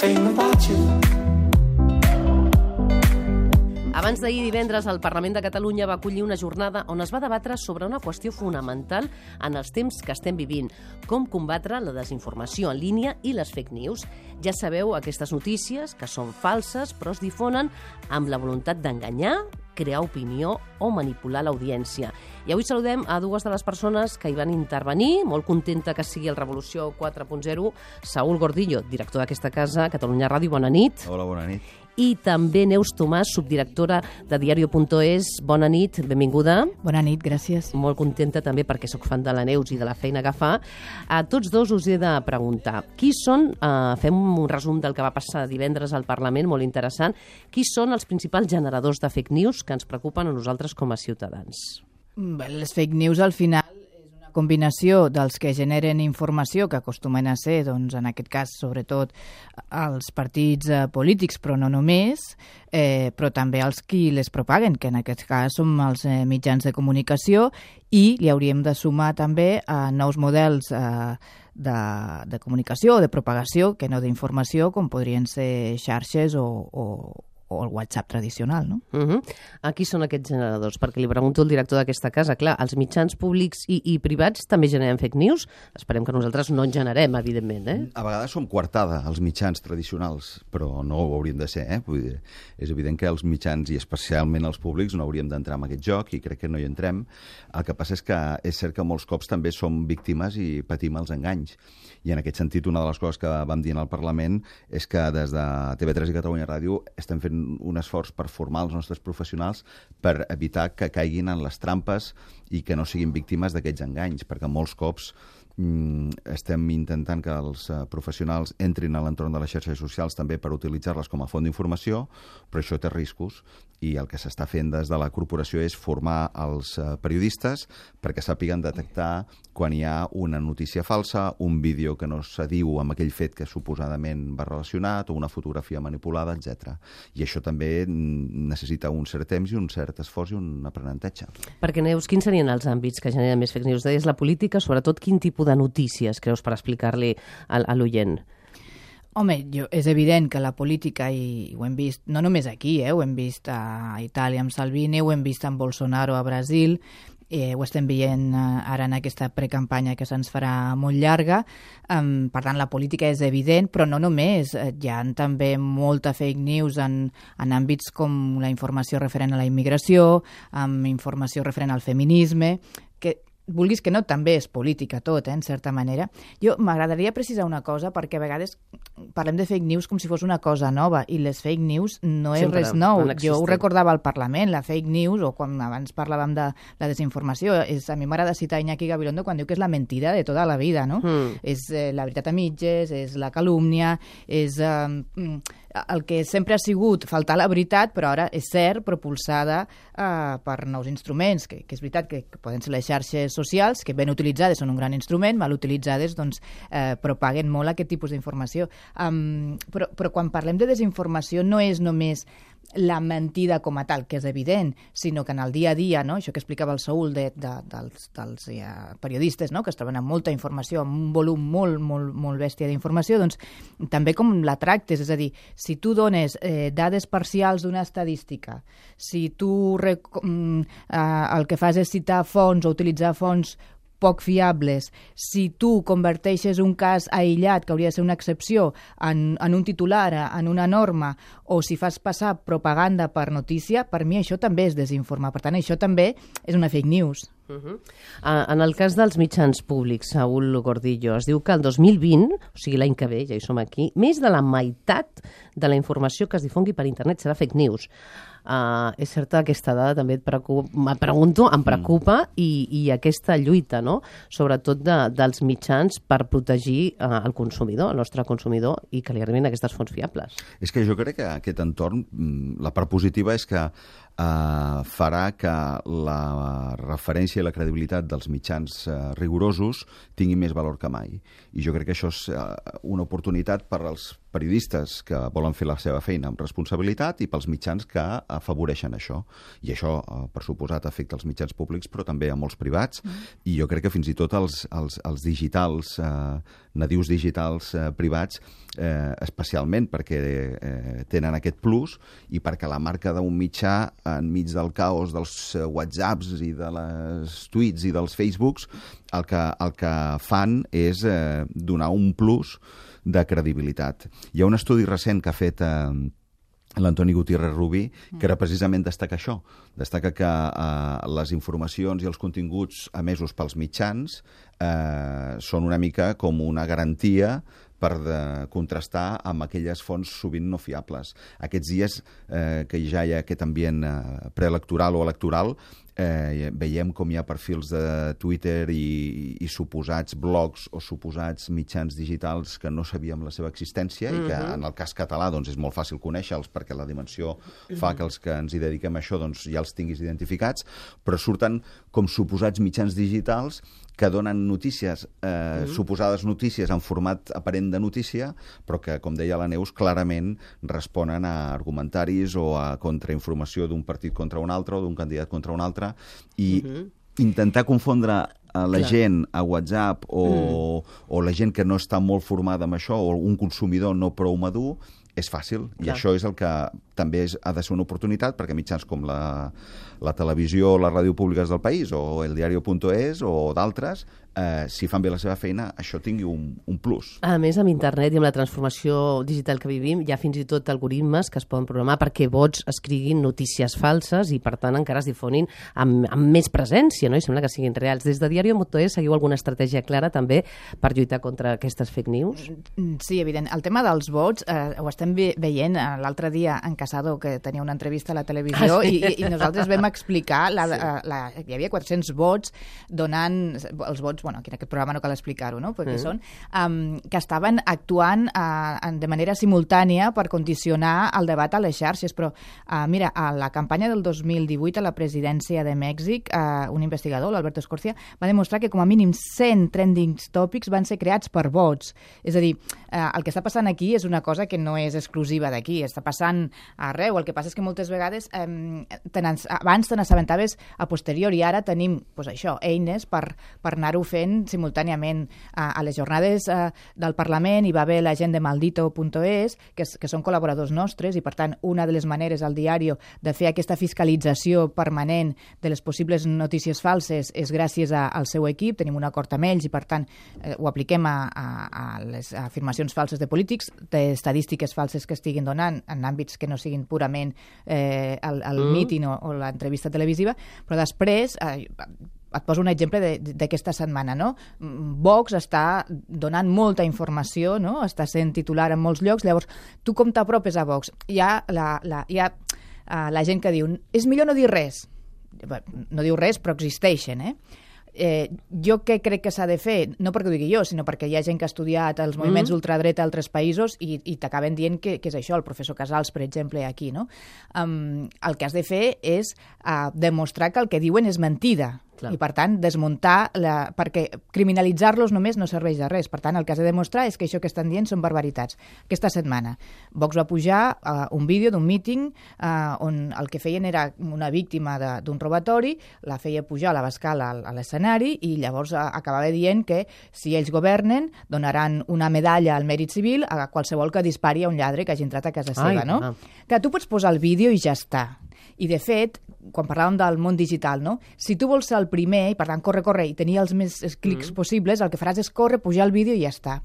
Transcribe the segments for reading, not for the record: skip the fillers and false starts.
everything about you. Abans d'ahir divendres, el Parlament de Catalunya va acollir una jornada on es va debatre sobre una qüestió fonamental en els temps que estem vivint: com combatre la desinformació en línia i les fake news. Ja sabeu, aquestes notícies que són falses però es difonen amb la voluntat d'enganyar, crear opinió o manipular l'audiència. I avui saludem a dues de les persones que hi van intervenir. Molt contenta que sigui el Revolució 4.0. Saúl Gordillo, director d'aquesta casa, Catalunya Ràdio, bona nit. Hola, bona nit. I també Neus Tomàs, subdirectora de Diario.es. Bona nit, benvinguda. Bona nit, gràcies. Molt contenta també perquè sóc fan de la Neus i de la feina que fa. A tots dos us he de preguntar, qui són, fem un resum del que va passar divendres al Parlament, molt interessant, qui són els principals generadors de fake news que ens preocupen a nosaltres com a ciutadans? Bé, les fake news al final és una combinació dels que generen informació, que acostumen a ser, doncs, en aquest cas, sobretot els partits polítics, però no només, però també els qui les propaguen, que en aquest cas són els mitjans de comunicació, i li hauríem de sumar també nous models de comunicació o de propagació, que no d'informació, com podrien ser xarxes o el WhatsApp tradicional, no? Qui són aquests generadors? Perquè li pregunto al director d'aquesta casa. Clar, els mitjans públics i privats també generen fake news? Esperem que nosaltres no en generem, evidentment, A vegades som coartada, els mitjans tradicionals, però no ho hauríem de ser, Vull dir, és evident que els mitjans, i especialment els públics, no hauríem d'entrar en aquest joc, i crec que no hi entrem. El que passa és que és cert que molts cops també som víctimes i patim els enganys. I en aquest sentit, una de les coses que vam dir al Parlament és que des de TV3 i Catalunya Ràdio estem fent un esforç per formar els nostres professionals per evitar que caiguin en les trampes i que no siguin víctimes d'aquests enganys, perquè molts cops estem intentant que els professionals entrin a l'entorn de les xarxes socials també per utilitzar-les com a font d'informació, però això té riscos, i el que s'està fent des de la corporació és formar els periodistes perquè sàpiguen detectar quan hi ha una notícia falsa, un vídeo que no s'adiu amb aquell fet que suposadament va relacionat, o una fotografia manipulada, etc. I això també necessita un cert temps i un cert esforç i un aprenentatge. Perquè, Neus, quins serien els àmbits que generen més fake news? Deies la política, sobretot quin tipus de notícies creus per explicar-li a l'oient? Home, és evident que la política, i ho hem vist, no només aquí, ho hem vist a Itàlia amb Salvini, ho hem vist amb Bolsonaro a Brasil, ho estem veient ara en aquesta precampanya que se'ns farà molt llarga. Per tant, la política és evident, però no només. Hi ha també molta fake news en àmbits com la informació referent a la immigració, amb informació referent al feminisme, que vulguis que no, també és política tot, en certa manera. Jo m'agradaria precisar una cosa, perquè a vegades parlem de fake news com si fos una cosa nova, i les fake news no és res nou. Jo ho recordava al Parlament, la fake news, o quan abans parlàvem de la desinformació, a mi m'agrada citar Iñaki Gabilondo quan diu que és la mentida de tota la vida, no? És la veritat a mitges, és la calúmnia, és el que sempre ha sigut faltar la veritat, però ara és cert, propulsada per nous instruments, que és veritat que poden ser les xarxes socials, que ben utilitzades són un gran instrument, mal utilitzades doncs propaguen molt aquest tipus d'informació. Però quan parlem de desinformació no és només la mentida com a tal, que és evident, sinó que en el dia a dia, no? Això que explicava el Saúl dels periodistes, no? Que es troben amb molta informació, amb un volum molt bèstia d'informació, doncs també com la tractes, és a dir, si tu dones dades parcials d'una estadística, si tu el que fas és citar fonts o utilitzar fonts poc fiables, si tu converteixes un cas aïllat, que hauria de ser una excepció, en un titular, en una norma, o si fas passar propaganda per notícia, per mi això també és desinformar. Per tant, això també és una fake news. En el cas dels mitjans públics, Saúl Gordillo, es diu que el 2020, o sigui l'any que ve, ja hi som aquí, més de la meitat de la informació que es difongui per internet serà fake news. És certa, aquesta dada també em preocupa, i aquesta lluita, no? Sobretot dels mitjans per protegir el consumidor, el nostre consumidor, i que li arribin aquestes fonts fiables. És que jo crec que aquest entorn, la part positiva és que farà que la referència i la credibilitat dels mitjans rigorosos tingui més valor que mai. I jo crec que això és una oportunitat per als periodistes que volen fer la seva feina amb responsabilitat i pels mitjans que afavoreixen això. I això, per suposat, afecta els mitjans públics, però també a molts privats. I jo crec que fins i tot els digitals, nadius digitals privats, especialment perquè tenen aquest plus i perquè la marca d'un mitjà enmig del caos dels WhatsApps i de les tuits i dels Facebooks, el que fan és donar un plus de credibilitat. Hi ha un estudi recent que ha fet l'Antoni Gutiérrez Rubí, que era precisament destaca això. Destaca que les informacions i els continguts emesos pels mitjans són una mica com una garantia per contrastar amb aquelles fonts sovint no fiables. Aquests dies que ja hi ha aquest ambient preelectoral o electoral, veiem com hi ha perfils de Twitter i suposats blogs o suposats mitjans digitals que no sabíem la seva existència i que en el cas català doncs, és molt fàcil conèixer-los perquè la dimensió fa que els que ens hi dediquem a això doncs, ja els tinguis identificats, però surten com suposats mitjans digitals que donen notícies, suposades notícies en format aparent de notícia, però que, com deia la Neus, clarament responen a argumentaris o a contrainformació d'un partit contra un altre o d'un candidat contra un altre, i intentar confondre a la gent a WhatsApp o la gent que no està molt formada amb això o un consumidor no prou madur és fàcil. I això és el que també ha de ser una oportunitat perquè mitjans com la televisió o la ràdio públiques del país o el diario.es o d'altres, si fan bé la seva feina, això tingui un plus. A més, amb internet i amb la transformació digital que vivim, hi ha fins i tot algoritmes que es poden programar perquè bots escriguin notícies falses i, per tant, encara es difonin amb més presència, no? I sembla que siguin reals. Des de diario.es seguiu alguna estratègia clara també per lluitar contra aquestes fake news? Sí, evident. El tema dels bots ho estem veient l'altre dia en Casado, que tenia una entrevista a la televisió, i nosaltres vam explicar, hi havia 400 bots donant, els bots, bueno, aquí en aquest programa no cal explicar-ho, no? Perquè són, que estaven actuant de manera simultània per condicionar el debat a les xarxes, però mira, a la campanya del 2018 a la presidència de Mèxic, un investigador, l'Alberto Escorcia, va demostrar que com a mínim 100 trending topics van ser creats per bots. És a dir, el que està passant aquí és una cosa que no és exclusiva d'aquí, està passant arreu. El que passa és que moltes vegades abans te n'assabentaves a posteriori, ara tenim això, eines per anar-ho fent simultàniament. A les jornades del Parlament hi va haver la gent de maldito.es, que són col·laboradors nostres, i per tant una de les maneres al diari de fer aquesta fiscalització permanent de les possibles notícies falses és gràcies al seu equip. Tenim un acord amb ells i per tant ho apliquem a les afirmacions falses de polítics, d'estadístiques falses que estiguin donant en àmbits que no siguin purament el míting o l'entrevista televisiva, però després et poso un exemple d'aquesta setmana, no? Vox està donant molta informació, no? Està sent titular en molts llocs. Llavors, tu com t'apropes a Vox? Hi ha la gent que diu és millor no dir res. No diu res, però existeixen, jo què crec que s'ha de fer? No perquè ho digui jo, sinó perquè hi ha gent que ha estudiat els moviments ultradreta a altres països i t'acaben dient que és això, el professor Casals, per exemple, aquí, no? El que has de fer és demostrar que el que diuen és mentida. I, per tant, desmuntar, perquè criminalitzar-los només no serveix de res. Per tant, el que has de demostrar és que això que estan dient són barbaritats. Aquesta setmana, Vox va pujar un vídeo d'un míting on el que feien era una víctima d'un robatori, la feia pujar a la bascala a l'escenari i llavors acabava dient que si ells governen donaran una medalla al mèrit civil a qualsevol que dispari a un lladre que hagi entrat a casa seva, no? Que tu pots posar el vídeo i ja està. I, de fet, quan parlàvem del món digital, no? Si tu vols ser el primer, i per tant corre, i tenir els més clics possibles, el que faràs és córrer, pujar el vídeo i ja està.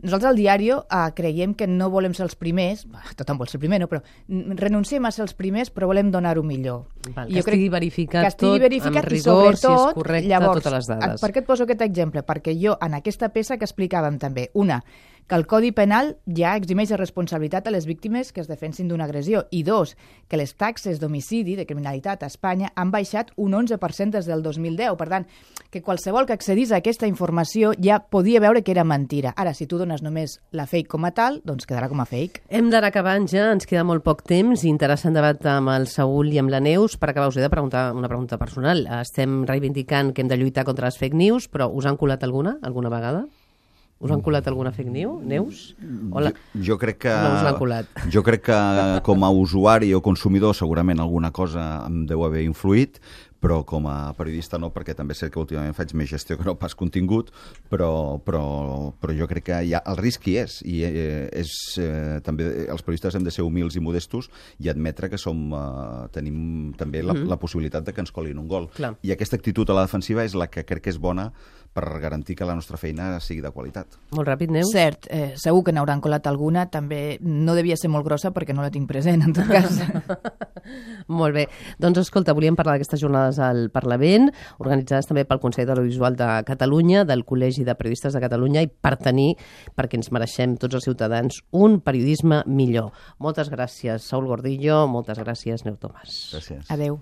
Nosaltres al diari creiem que no volem ser els primers, tothom vol ser el primer, no? Però renunciem a ser els primers, però volem donar-ho millor. Que estigui verificat tot amb rigor, si és correcte, totes les dades. Per què et poso aquest exemple? Perquè jo, en aquesta peça que explicàvem també, que el Codi Penal ja eximeix de responsabilitat a les víctimes que es defensin d'una agressió, i dos, que les taxes d'homicidi, de criminalitat a Espanya, han baixat un 11% des del 2010. Per tant, que qualsevol que accedís a aquesta informació ja podia veure que era mentira. Ara, si tu dones només la fake com a tal, doncs quedarà com a fake. Hem d'anar acabant ja, ens queda molt poc temps. Interessant debat amb el Saúl i amb la Neus. Per acabar, us he de preguntar una pregunta personal. Estem reivindicant que hem de lluitar contra les fake news, però us han colat alguna vegada? Us han colat alguna fake news, Neus? Jo crec que... No us l'han colat. Jo crec que com a usuari o consumidor segurament alguna cosa em deu haver influït, però com a periodista no, perquè també sé que últimament faig més gestió que no pas contingut, però jo crec que el risc hi és, i també els periodistes hem de ser humils i modestos i admetre que tenim també la possibilitat de que ens colin un gol. Clar. I aquesta actitud a la defensiva és la que crec que és bona per garantir que la nostra feina sigui de qualitat. Molt ràpid, Neus? Cert, segur que n'hauran colat alguna, també no devia ser molt grossa perquè no la tinc present, en tot cas. Molt bé. Doncs escolta, volíem parlar d'aquestes jornades al Parlament, organitzades també pel Consell de l'Audiovisual de Catalunya, del Col·legi de Periodistes de Catalunya, i perquè ens mereixem tots els ciutadans un periodisme millor. Moltes gràcies, Saúl Gordillo, moltes gràcies, Neus Tomàs. Gràcies. Adeu.